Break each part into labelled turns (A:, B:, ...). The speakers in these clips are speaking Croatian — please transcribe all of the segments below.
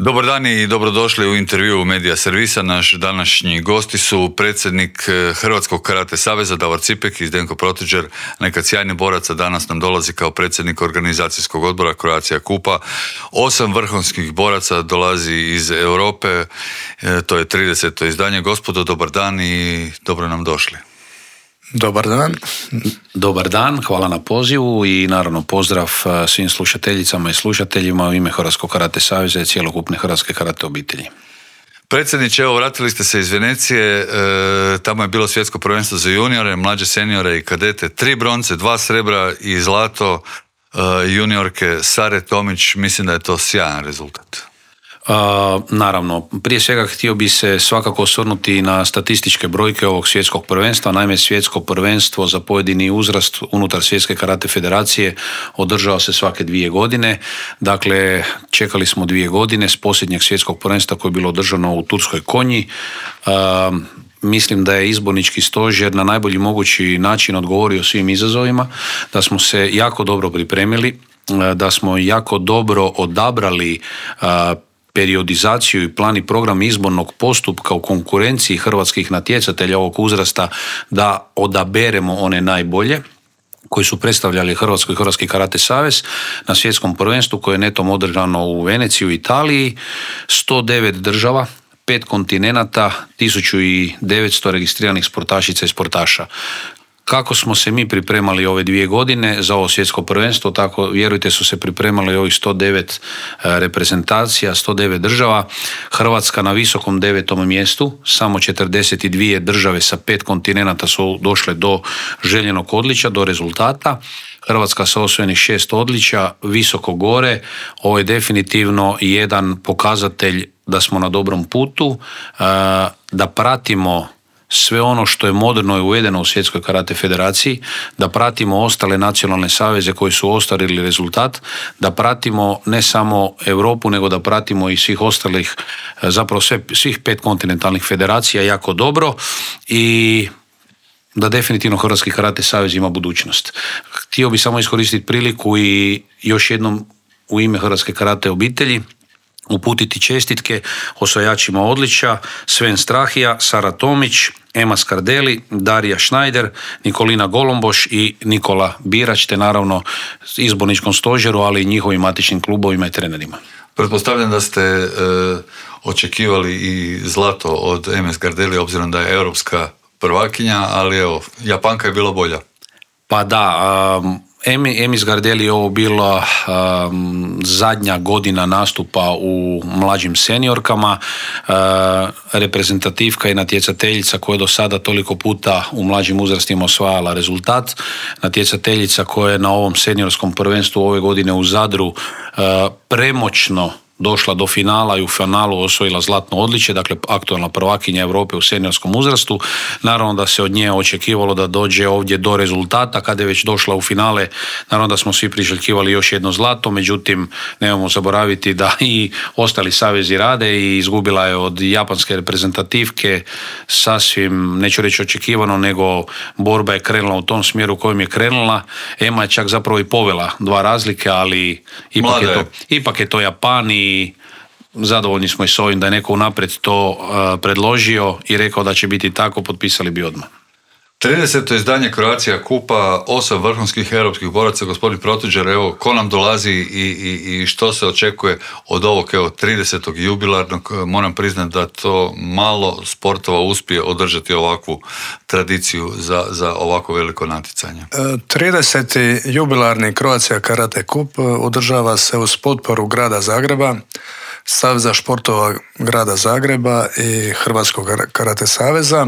A: Dobar dan i dobrodošli u intervju Medija Servisa. Naš današnji gosti su predsjednik Hrvatskog karate saveza Davor Cipek i Zdenko Protiđer, nekad sjajni borac, a danas nam dolazi kao predsjednik organizacijskog odbora Croatia Kupa. 8 vrhunskih boraca dolazi iz Europe, to je 30. izdanje. Gospodo, dobar dan i dobro nam došli.
B: Dobar dan.
C: Dobar dan, hvala na pozivu i naravno pozdrav svim slušateljicama i slušateljima u ime Hrvatskog karate saveza i cjelokupne hrvatske karate obitelji.
A: Predsjedniče, evo vratili ste se iz Venecije, tamo je bilo svjetsko prvenstvo za juniore, mlađe seniore i kadete, 3 bronce, 2 srebra i zlato, juniorke Sare Tomić, mislim da je to sjajan rezultat.
C: Naravno, prije svega htio bi se svakako osvrnuti na statističke brojke ovog svjetskog prvenstva. Naime, svjetsko prvenstvo za pojedini uzrast unutar Svjetske karate federacije održava se svake 2 godine. Dakle, čekali smo 2 godine s posljednjeg svjetskog prvenstva koje je bilo održano u Turskoj Konji. Mislim da je izbornički stožer na najbolji mogući način odgovorio svim izazovima, da smo se jako dobro pripremili, da smo jako dobro odabrali periodizaciju i plan i program izbornog postupka u konkurenciji hrvatskih natjecatelja ovog uzrasta, da odaberemo one najbolje koji su predstavljali Hrvatsko i Hrvatski karate savez na svjetskom prvenstvu koje je netom održano u Veneciji u Italiji. 109 država, 5 kontinenata, 1900 registriranih sportašica i sportaša. Kako smo se mi pripremali ove 2 godine za ovo svjetsko prvenstvo, tako vjerujte su se pripremali ovih 109 reprezentacija, 109 država. Hrvatska na visokom 9. mjestu, samo 42 države sa 5 kontinenata su došle do željenog odličja, do rezultata. Hrvatska sa osvojenih 6 odličja, visoko gore. Ovo je definitivno jedan pokazatelj da smo na dobrom putu, da pratimo sve ono što je moderno i uvedeno u Svjetskoj karate federaciji, da pratimo ostale nacionalne saveze koji su ostvarili rezultat, da pratimo ne samo Europu, nego da pratimo i svih ostalih, zapravo svih 5 kontinentalnih federacija jako dobro i da definitivno Hrvatski karate savez ima budućnost. Htio bih samo iskoristiti priliku i još jednom u ime Hrvatske karate obitelji uputiti čestitke osvajačima odličja: Sven Strahija, Sara Tomić, Ema Skardeli, Darija Schneider, Nikolina Golomboš i Nikola Birač, te naravno izborničkom stožeru, ali i njihovim matičnim klubovima i trenerima.
A: Pretpostavljam da ste očekivali i zlato od Eme Skardeli, obzirom da je europska prvakinja, ali evo, Japanka je bila bolja.
C: Pa da, Emi Skardeli je ovo bila zadnja godina nastupa u mlađim seniorkama, reprezentativka i natjecateljica koja je do sada toliko puta u mlađim uzrastima osvajala rezultat, natjecateljica koja je na ovom seniorskom prvenstvu ove godine u Zadru premoćno došla do finala i u finalu osvojila zlatno odličje, dakle aktualna prvakinja Europe u seniorskom uzrastu. Naravno da se od nje očekivalo da dođe ovdje do rezultata. Kada je već došla u finale, naravno da smo svi priželjkivali još jedno zlato, međutim nemojmo zaboraviti da i ostali savezi rade i izgubila je od japanske reprezentativke sasvim, neću reći očekivano, nego borba je krenula u tom smjeru u kojem je krenula. Ema je čak zapravo i povela 2 razlike, ali ipak je to Japan i zadovoljni smo i s ovim da je neko unaprijed to predložio i rekao da će biti tako, potpisali bi odmah.
A: 30. izdanje Croatia Kupa, 8 vrhunskih europskih boraca. Gospodin Protiđer, evo, ko nam dolazi i što se očekuje od ovog 30. jubilarnog? Moram priznati da to malo sportova uspije održati ovakvu tradiciju za ovako veliko natjecanje.
B: 30. jubilarni Croatia Karate Kup održava se uz potporu grada Zagreba, Saveza športova grada Zagreba i Hrvatskog karate saveza.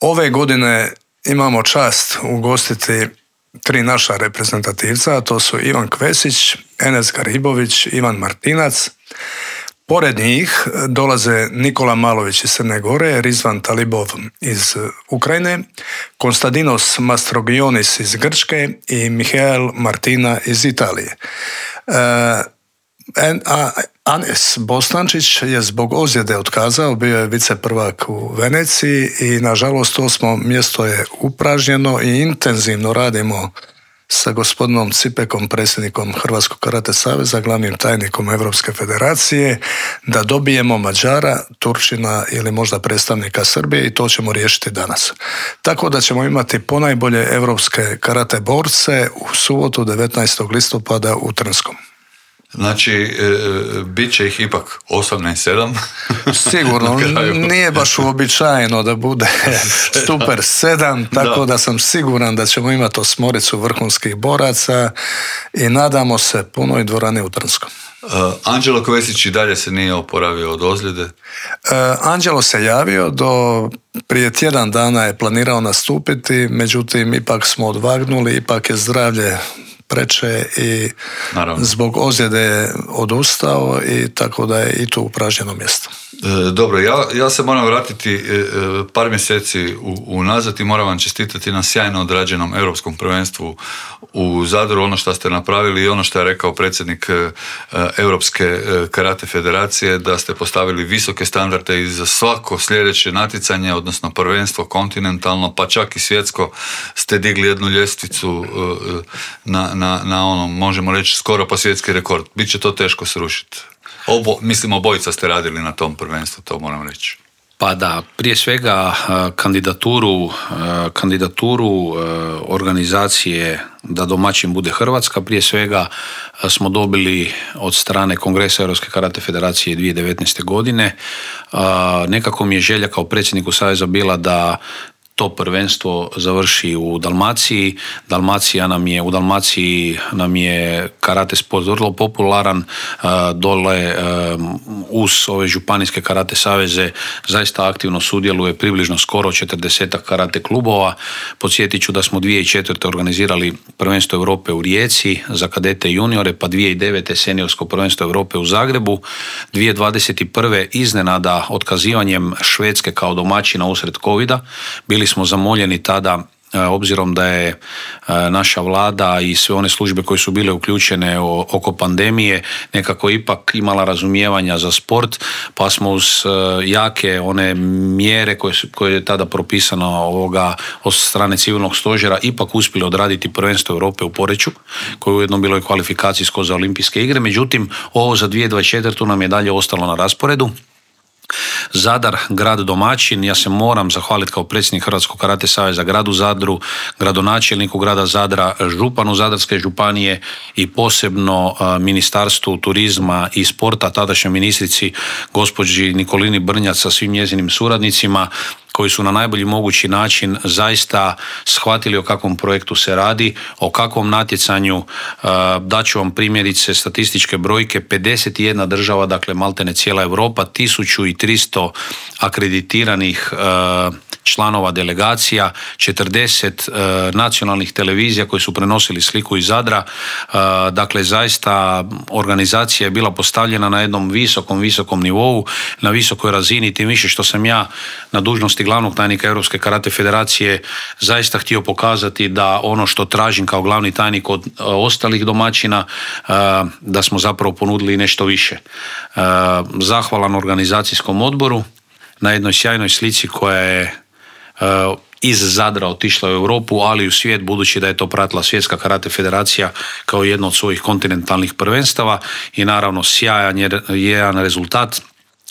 B: Ove godine imamo čast ugostiti 3 naša reprezentativca, a to su Ivan Kvesić, Enes Garibović, Ivan Martinac. Pored njih dolaze Nikola Malović iz Crne Gore, Rizvan Talibov iz Ukrajine, Konstantinos Mastrogionis iz Grčke i Mihael Martina iz Italije. Anes Bostančić je zbog ozljede otkazao, bio je viceprvak u Veneciji i nažalost 8. mjesto je upražnjeno i intenzivno radimo sa gospodinom Cipekom, predsjednikom Hrvatskog karate saveza, glavnim tajnikom Europske federacije, da dobijemo Mađara, Turčina ili možda predstavnika Srbije i to ćemo riješiti danas. Tako da ćemo imati ponajbolje europske karate borce u subotu 19. listopada u Trnskom.
A: Znači, bit će ih ipak 8-7.
B: Sigurno, nije baš uobičajeno da bude super 7, tako da sam siguran da ćemo imati 8 vrhunskih boraca i nadamo se punoj dvorani u Trnskom.
A: Anđelo Kovesić i dalje se nije oporavio od ozljede?
B: Anđelo se javio, prije tjedan dana je planirao nastupiti, međutim ipak smo odvagnuli, ipak je zdravlje preče i naravno, zbog ozljede je odustao i tako da je i tu upražnjeno mjesto.
A: Dobro, ja se moram vratiti par mjeseci unazad i moram vam čestitati na sjajno odrađenom europskom prvenstvu u Zadru, ono što ste napravili i ono što je rekao predsjednik Europske karate federacije, da ste postavili visoke standarde i za svako sljedeće natjecanje, odnosno prvenstvo kontinentalno, pa čak i svjetsko, ste digli jednu ljestvicu na ono, možemo reći, skoro pa svjetski rekord. Biće to teško srušiti. Mislim, obojica ste radili na tom prvenstvu, to moram reći.
C: Pa da, prije svega kandidaturu organizacije da domaćin bude Hrvatska, prije svega smo dobili od strane Kongresa Europske karate federacije 2019. godine. Nekako mi je želja kao predsjedniku saveza bila da to prvenstvo završi u Dalmaciji. U Dalmaciji nam je karate sport vrlo popularan, dole uz ove županijske karate saveze zaista aktivno sudjeluje približno skoro 40 karate klubova. Podsjetit ću da smo 2004. organizirali prvenstvo Europe u Rijeci za kadete i juniore, pa 2009. seniorsko prvenstvo Europe u Zagrebu, 2021. iznenada otkazivanjem Švedske kao domaćina usred covida. Bili smo zamoljeni tada, obzirom da je naša vlada i sve one službe koje su bile uključene oko pandemije nekako ipak imala razumijevanja za sport, pa smo uz jake one mjere koje je tada propisano od strane civilnog stožera ipak uspjeli odraditi prvenstvo Europe u Poreču, koje je ujedno bilo i kvalifikacijsko za olimpijske igre. Međutim, ovo za 2024. nam je dalje ostalo na rasporedu. Zadar, grad domaćin, ja se moram zahvaliti kao predsjednik Hrvatskog karate saveza gradu Zadru, gradonačelniku grada Zadra, županu Zadarske županije i posebno Ministarstvu turizma i sporta, tadašnjoj ministrici gospođi Nikolini Brnjac sa svim njezinim suradnicima, koji su na najbolji mogući način zaista shvatili o kakvom projektu se radi, o kakvom natjecanju. Daću vam primjerice statističke brojke, 51 država, dakle maltene cijela Europa, 1300 akreditiranih članova delegacija, 40 nacionalnih televizija koji su prenosili sliku iz Zadra. Dakle, zaista organizacija je bila postavljena na jednom visokom nivou, na visokoj razini, tim više što sam ja na dužnosti glavnog tajnika Europske karate federacije zaista htio pokazati da ono što tražim kao glavni tajnik od ostalih domaćina, da smo zapravo ponudili nešto više. Zahvalan organizacijskom odboru na jednoj sjajnoj slici koja je iz Zadra otišla u Europu, ali i u svijet, budući da je to pratila Svjetska karate federacija kao jedno od svojih kontinentalnih prvenstava i naravno sjajan jedan rezultat,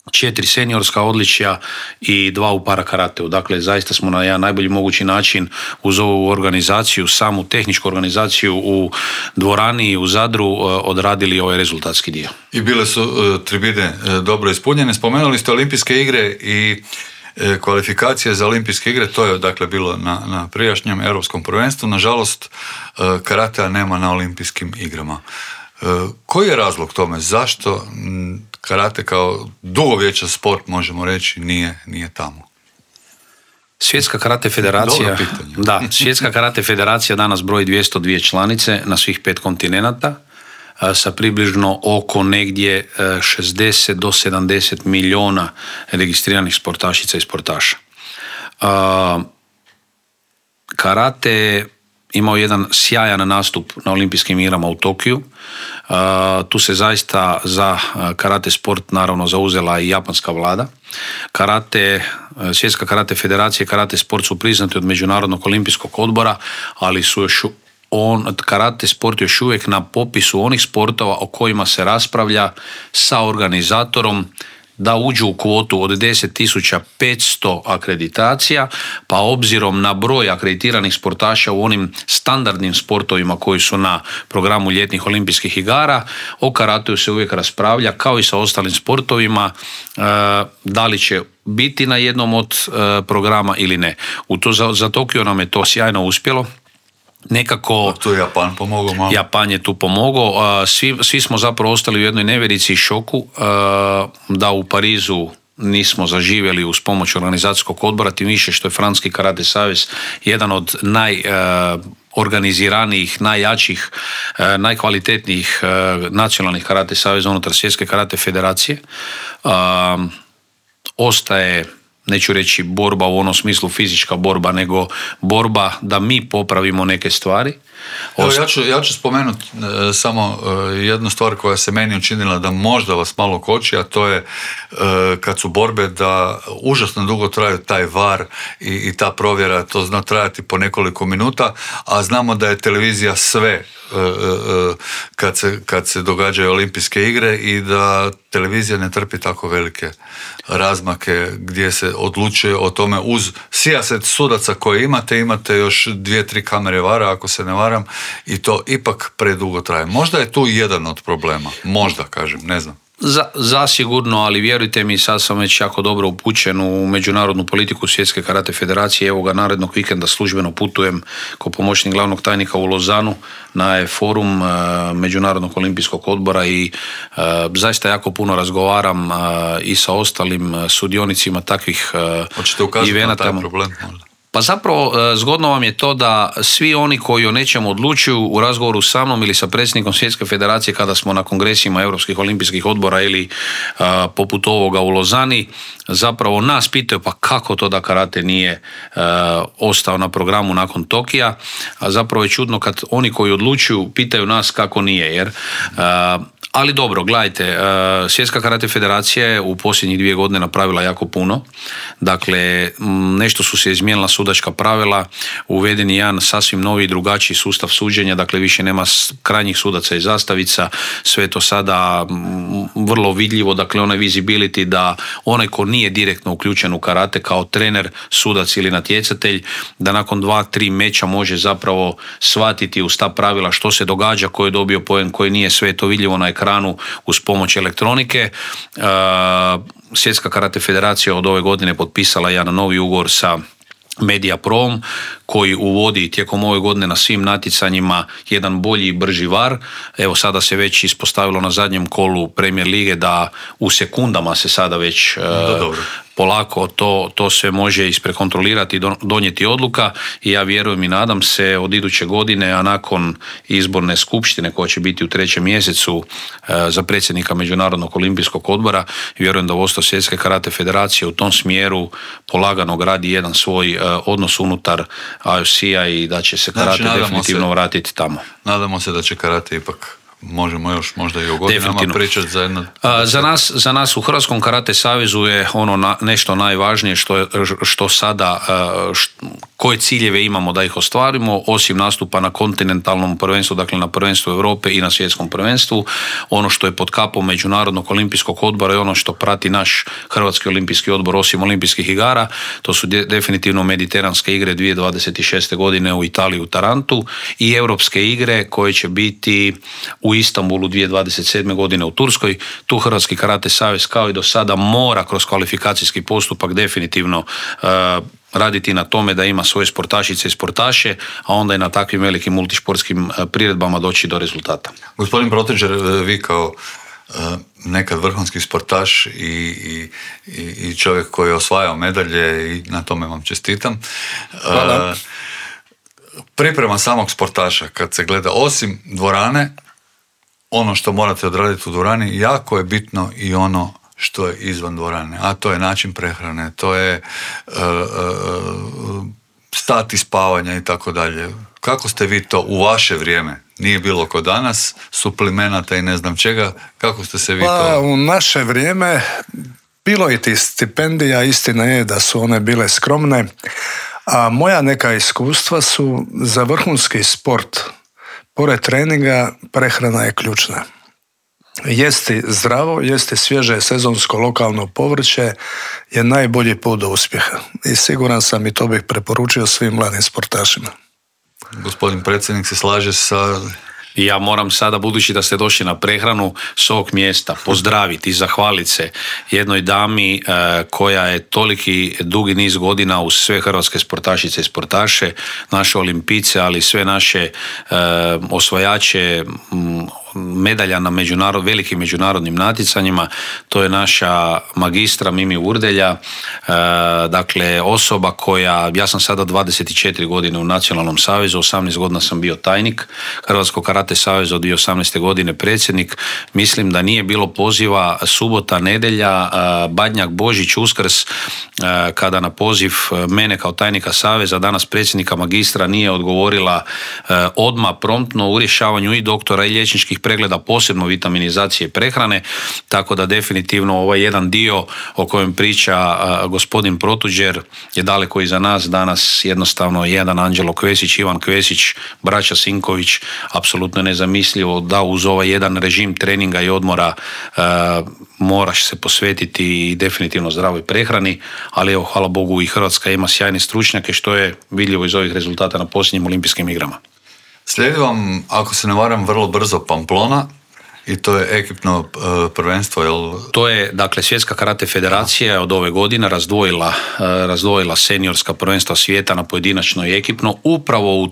C: 4 seniorska odličja i 2 u parakarateu. Dakle, zaista smo na jedan najbolji mogući način uz ovu organizaciju, samu tehničku organizaciju u dvorani u Zadru odradili ovaj rezultatski dio.
A: I bile su tribine dobro ispunjene. Spomenuli ste olimpijske igre i kvalifikacije za olimpijske igre, to je dakle bilo na prijašnjem europskom prvenstvu. Nažalost, karatea nema na olimpijskim igrama. Koji je razlog tome? Zašto karate kao dugovječan sport, možemo reći, nije tamo?
C: Svjetska karate federacija, Svjetska karate federacija danas broji 202 članice na svih 5 kontinenata, sa približno oko negdje 60 do 70 milijuna registriranih sportašica i sportaša. Karate imao jedan sjajan nastup na olimpijskim igrama u Tokiju. Tu se zaista za karate sport naravno zauzela i japanska vlada. Svjetska karate federacija i karate sport su priznati od Međunarodnog olimpijskog odbora, ali su još karate sport još uvijek na popisu onih sportova o kojima se raspravlja sa organizatorom da uđu u kvotu od 10.500 akreditacija, pa obzirom na broj akreditiranih sportaša u onim standardnim sportovima koji su na programu ljetnih olimpijskih igara, o karateu se uvijek raspravlja kao i sa ostalim sportovima, da li će biti na jednom od programa ili ne. Za Tokio nam je to sjajno uspjelo. Nekako
A: tu je Japan pomogao malo.
C: Japan je tu pomogao. Svi smo zapravo ostali u jednoj nevjerici i šoku da u Parizu nismo zaživjeli uz pomoć organizacijskog odbora, tim više što je Francuski karate savez jedan od najorganiziranijih, najjačih, najkvalitetnijih nacionalnih karate saveza unutar Svjetske karate federacije. Ostaje, neću reći borba u onom smislu fizička borba, nego borba da mi popravimo neke stvari.
A: Evo, ja ću spomenuti samo jednu stvar koja se meni učinila da možda vas malo koči, a to je kad su borbe da užasno dugo traju taj VAR i ta provjera, to zna trajati po nekoliko minuta, a znamo da je televizija sve kad se događaju olimpijske igre i da televizija ne trpi velike razmake gdje se odlučuje o tome uz sijaset sudaca koje imate još 2-3 kamere vara ako se ne varam i to ipak predugo traje. Možda je tu jedan od problema. Možda, kažem, ne znam.
C: Zasigurno, ali vjerujte mi, sad sam već jako dobro upućen u međunarodnu politiku Svjetske karate federacije. Evo ga, narednog vikenda službeno putujem kao pomoćnik glavnog tajnika u Lozanu na forum Međunarodnog olimpijskog odbora i zaista jako puno razgovaram i sa ostalim sudionicima takvih evenata.
A: Hoćete ukazati na taj problem možda?
C: Pa zapravo zgodno vam je to da svi oni koji o nečemu odlučuju u razgovoru sa mnom ili sa predsjednikom Svjetske federacije kada smo na kongresima Europskih olimpijskih odbora ili poput ovoga u Lozani, zapravo nas pitaju pa kako to da karate nije ostao na programu nakon Tokija, a zapravo je čudno kad oni koji odlučuju pitaju nas kako nije, jer ali dobro, gledajte, Svjetska karate federacija je u posljednjih 2 godine napravila jako puno. Dakle, nešto su se izmijenila sudačka pravila, uveden je jedan sasvim novi i drugačiji sustav suđenja, dakle više nema krajnjih sudaca i zastavica, sve je to sada vrlo vidljivo, dakle onaj visibility da onaj ko nije direktno uključen u karate kao trener, sudac ili natjecatelj, da nakon 2-3 meča može zapravo shvatiti uz ta pravila što se događa, ko je dobio poen, koji nije, sve je to vidljivo na ekranu uz pomoć elektronike. Svjetska karate federacija od ove godine potpisala jedan novi ugovor sa Mediaprom koji uvodi tijekom ove godine na svim natjecanjima jedan bolji i brži VAR. Evo sada se već ispostavilo na zadnjem kolu Premier lige da u sekundama se sada već polako to sve može isprekontrolirati i donijeti odluka i ja vjerujem i nadam se od iduće godine, a nakon izborne skupštine koja će biti u 3. mjesecu za predsjednika Međunarodnog olimpijskog odbora, vjerujem da vodstvo Svjetske karate federacije u tom smjeru polagano gradi jedan svoj odnos unutar IOC-a i da će se karate definitivno vratiti tamo.
A: Nadamo se da će karate ipak, možemo još možda i o godinama pričati za jedno...
C: Za nas u Hrvatskom karate savezu je ono nešto najvažnije što sada, koje ciljeve imamo da ih ostvarimo, osim nastupa na kontinentalnom prvenstvu, dakle na prvenstvu Europe i na svjetskom prvenstvu. Ono što je pod kapom Međunarodnog olimpijskog odbora i ono što prati naš Hrvatski olimpijski odbor osim olimpijskih igara, to su definitivno mediteranske igre 2026. godine u Italiji u Tarantu i europske igre koje će biti u Istanbulu 2027. godine u Turskoj. Tu Hrvatski karate savez kao i do sada mora kroz kvalifikacijski postupak definitivno raditi na tome da ima svoje sportašice i sportaše, a onda i na takvim velikim multišportskim priredbama doći do rezultata.
A: Gospodin Proteđer, vi kao nekad vrhunski sportaš i čovjek koji je osvajao medalje i na tome vam čestitam.
B: Hvala.
A: Priprema samog sportaša kad se gleda osim dvorane, ono što morate odraditi u dvorani, jako je bitno i ono što je izvan dvorane, a to je način prehrane, to je stati spavanja i tako dalje. Kako ste vi to u vaše vrijeme? Nije bilo kod danas, suplemenata i ne znam čega, kako ste se vi to...
B: U naše vrijeme bilo je ti stipendija, istina je da su one bile skromne, A moja neka iskustva su za vrhunski sport. Pored treninga, prehrana je ključna. Jesti zdravo, jesti svježe sezonsko lokalno povrće je najbolji put do uspjeha. I siguran sam i to bih preporučio svim mladim sportašima.
A: Gospodin predsjednik se slaže sa...
C: Ja moram sada, budući da ste došli na prehranu, s ovog mjesta pozdraviti i zahvaliti se jednoj dami koja je toliki dugi niz godina uz sve hrvatske sportašice i sportaše, naše olimpice, ali sve naše osvajače medalja na velikim međunarodnim natjecanjima. To je naša magistra Mimi Urdelja, dakle osoba koja, ja sam sada 24 godine u Nacionalnom savezu, 18 godina sam bio tajnik Hrvatskog karate saveza, od 2018. godine predsjednik. Mislim da nije bilo poziva subota, nedjelja, Badnjak, Božić, Uskrs, kada na poziv mene kao tajnika saveza, danas predsjednika magistra, nije odgovorila odmah promptno u rješavanju i doktora i liječničkih pregleda, posebno vitaminizacije prehrane, tako da definitivno ovaj jedan dio o kojem priča gospodin Protuđer je daleko iza nas. Danas jednostavno jedan Anđelo Kvesić, Ivan Kvesić, braća Sinković, apsolutno nezamislivo da uz ovaj jedan režim treninga i odmora moraš se posvetiti i definitivno zdravoj prehrani, ali evo, hvala Bogu, i Hrvatska ima sjajne stručnjake, što je vidljivo iz ovih rezultata na posljednjim olimpijskim igrama.
A: Slijedi vam, ako se ne varam, vrlo brzo Pamplona i to je ekipno prvenstvo, jel? To
C: je, dakle, Svjetska karate federacija od ove godine razdvojila seniorska prvenstva svijeta na pojedinačno i ekipno, upravo u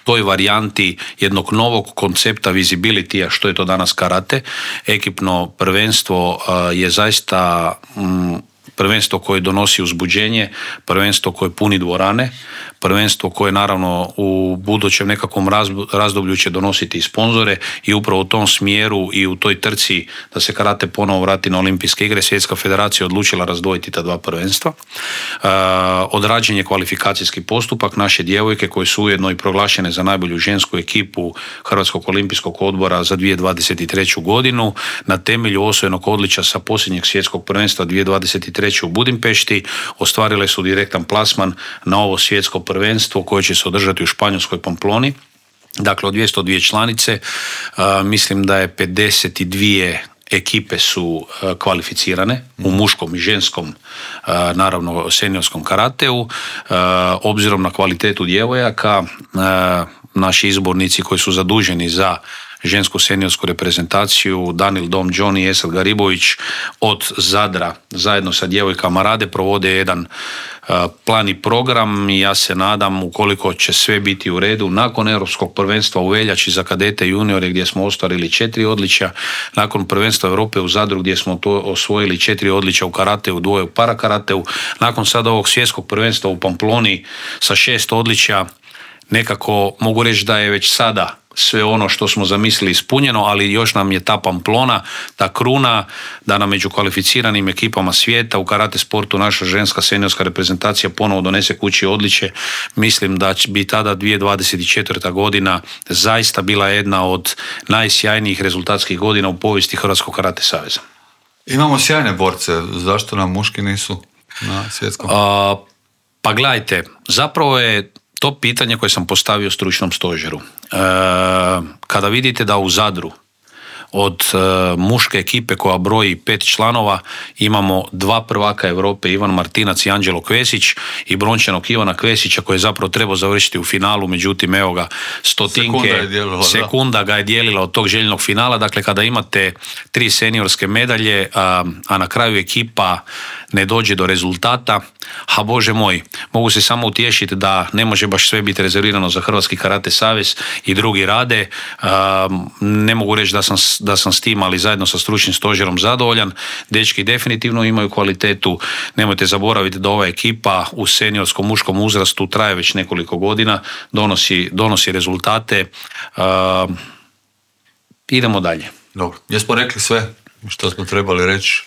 C: toj varijanti jednog novog koncepta visibility-a, što je to danas karate. Ekipno prvenstvo je zaista prvenstvo koje donosi uzbuđenje, prvenstvo koje puni dvorane, prvenstvo koje naravno u budućem nekakvom razdoblju će donositi i sponzore, i upravo u tom smjeru i u toj trci da se karate ponovo vrati na olimpijske igre, Svjetska federacija odlučila razdvojiti ta dva prvenstva. Odrađen je kvalifikacijski postupak, naše djevojke koje su ujedno i proglašene za najbolju žensku ekipu Hrvatskog olimpijskog odbora za 2023. godinu, na temelju osvojenog odličja sa posljednjeg svjetskog prvenstva 2023. u Budimpešti ostvarile su direktan plasman na ovo svjetsko prvenstvo koje će se održati u španjolskoj Pamploni. Dakle, od 202 članice, mislim da je 52 ekipe su kvalificirane u muškom i ženskom, naravno seniorskom karateu. Obzirom na kvalitetu djevojaka, naši izbornici koji su zaduženi za žensku seniorsku reprezentaciju, Danil Dom, Johnny i Esad Garibović od Zadra zajedno sa djevojkama rade, provode jedan plan i program, i ja se nadam, ukoliko će sve biti u redu, nakon europskog prvenstva u veljači za kadete i juniore gdje smo ostvarili 4 odličja, nakon prvenstva Europe u Zadru gdje smo to osvojili 4 odličja u karateu, 2 u parakarateu, nakon sada ovog svjetskog prvenstva u Pamploni sa 6 odličja, nekako mogu reći da je već sada sve ono što smo zamislili ispunjeno, ali još nam je ta Pamplona, ta kruna, da nam među kvalificiranim ekipama svijeta u karate sportu naša ženska seniorska reprezentacija ponovo donese kući odličje. Mislim da bi tada 2024. godina zaista bila jedna od najsjajnijih rezultatskih godina u povijesti Hrvatskog karate saveza.
A: Imamo sjajne borce, zašto nam muški nisu na svjetskom?
C: Pa gledajte, zapravo je to pitanje koje sam postavio stručnom stožeru. Kada vidite da u Zadru od muške ekipe koja broji 5 članova imamo 2 prvaka Europe, Ivan Martinac i Anđelo Kvesić, i brončanog Ivana Kvesića koji je zapravo trebao završiti u finalu, međutim evo ga, sekunda ga je dijelila od tog željenog finala. Dakle, kada imate 3 seniorske medalje, a na kraju ekipa ne dođe do rezultata, a Bože moj, mogu se samo utješiti da ne može baš sve biti rezervirano za Hrvatski karate savez i drugi rade. Ne mogu reći da sam s tim, ali zajedno sa stručnim stožerom zadovoljan. Dečki definitivno imaju kvalitetu. Nemojte zaboraviti da ova ekipa u seniorskom muškom uzrastu traje već nekoliko godina, donosi rezultate. Idemo dalje.
A: Dobro, jesmo rekli sve što smo trebali reći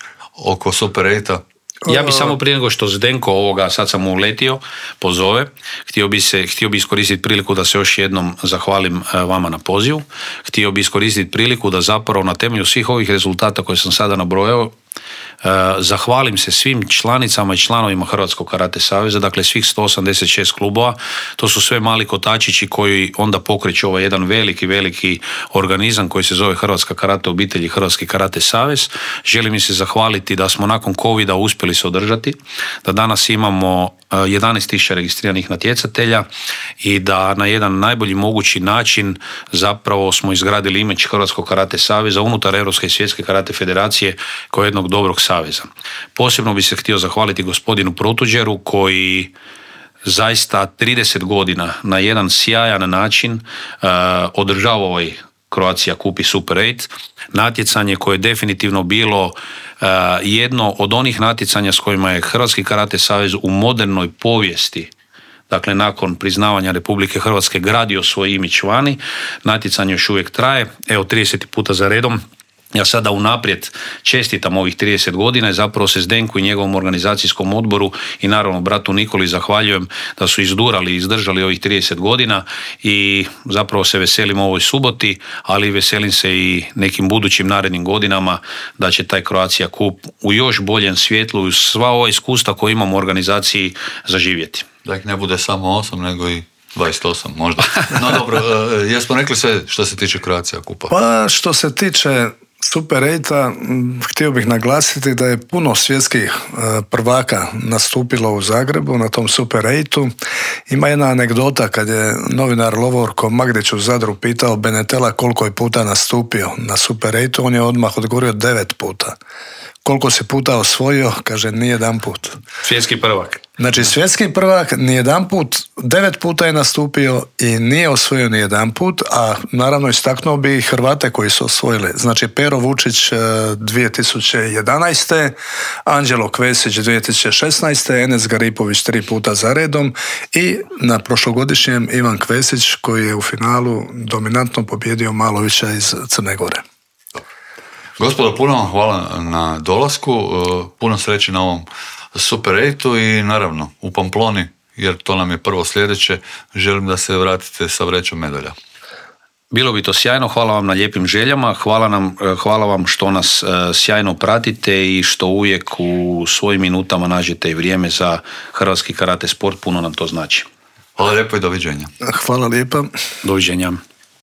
A: oko Super 8-a?
C: Ja bi samo prije nego što Zdenko ovoga, sad sam mu uletio, pozove, htio bi iskoristiti priliku da se još jednom zahvalim vama na pozivu. Htio bi iskoristiti priliku da zapravo na temelju svih ovih rezultata koje sam sada nabrojao zahvalim se svim članicama i članovima Hrvatskog karate saveza, dakle svih 186 klubova. To su sve mali kotačići koji onda pokreću ovaj jedan veliki organizam koji se zove Hrvatska karate obitelj i Hrvatski karate savez. Želim mi se zahvaliti da smo nakon covida uspjeli se održati, da danas imamo 11.000 registriranih natjecatelja i da na jedan najbolji mogući način zapravo smo izgradili imidž Hrvatskog karate saveza unutar Europske i Svjetske karate federacije kao jednog dobrog saveza. Posebno bi se htio zahvaliti gospodinu Protuđeru koji zaista 30 godina na jedan sjajan način održava ovaj Croatia Cup i Super 8, natjecanje koje je definitivno bilo jedno od onih natjecanja s kojima je Hrvatski karate savez u modernoj povijesti, dakle nakon priznavanja Republike Hrvatske, gradio svoj imidž vani. Natjecanje još uvijek traje, evo 30. puta za redom. Ja sada unaprijed čestitam ovih 30 godina i zapravo se Zdenku i njegovom organizacijskom odboru i naravno bratu Nikoli zahvaljujem da su izdurali i izdržali ovih 30 godina i zapravo se veselim ovoj suboti, ali veselim se i nekim budućim narednim godinama da će taj Croatia Cup u još boljem svjetlu i sva ova iskustva koje imamo u organizaciji zaživjeti.
A: Da ih ne bude samo 8 nego i 28 možda. No dobro, jesmo rekli sve što se tiče Croatia Cupa?
B: Pa što se tiče Super 8, htio bih naglasiti da je puno svjetskih prvaka nastupilo u Zagrebu na tom Super 8. Ima jedna anegdota kad je novinar Lovorko Magdić u Zadru pitao Benetela koliko je puta nastupio na Super 8, on je odmah odgovorio 9 puta. Koliko si puta osvojio? Kaže, ni jedan put.
C: Svjetski prvak.
B: Znači, svjetski prvak ni jedan put, 9 puta je nastupio i nije osvojio ni jedan put, a naravno istaknuo bi i Hrvate koji su osvojili. Znači, Pero Vučić 2011. Anđelo Kvesić 2016. Enes Garipović 3 puta za redom i na prošlogodišnjem Ivan Kvesić koji je u finalu dominantno pobjedio Malovića iz Crne Gore.
A: Gospodo, puno vam hvala na dolasku, puno sreće na ovom Super 8 i naravno u Pamploni, jer to nam je prvo sljedeće, želim da se vratite sa vrećom medalja.
C: Bilo bi to sjajno, hvala vam na lijepim željama, hvala vam što nas sjajno pratite i što uvijek u svojim minutama nađete i vrijeme za hrvatski karate sport, puno nam to znači.
A: Hvala lijepo i doviđenja.
B: Hvala lijepa.
C: Doviđenja.